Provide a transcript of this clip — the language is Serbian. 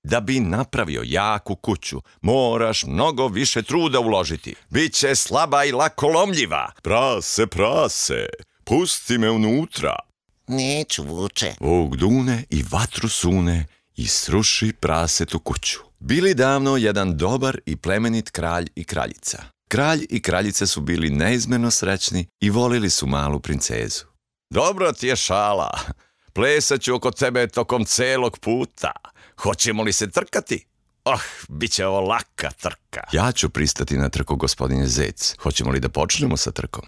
Da bi napravio jaku kuću, moraš mnogo više truda uložiti. Biće slaba i lako lomljiva. Prase, pusti me unutra. Neću, Vuče. Vuk dune i vatru sune i sruši prasetu kuću. Bili davno jedan dobar i plemenit kralj i kraljica. Kralj i kraljica su bili neizmjerno srećni i volili su malu princezu. Dobro ti je šala. Plesat ću oko tebe tokom celog puta. Hoćemo li se trkati? Bit će ovo laka trka. Ja ću pristati na trku, gospodine Zec. Hoćemo li da počnemo sa trkom?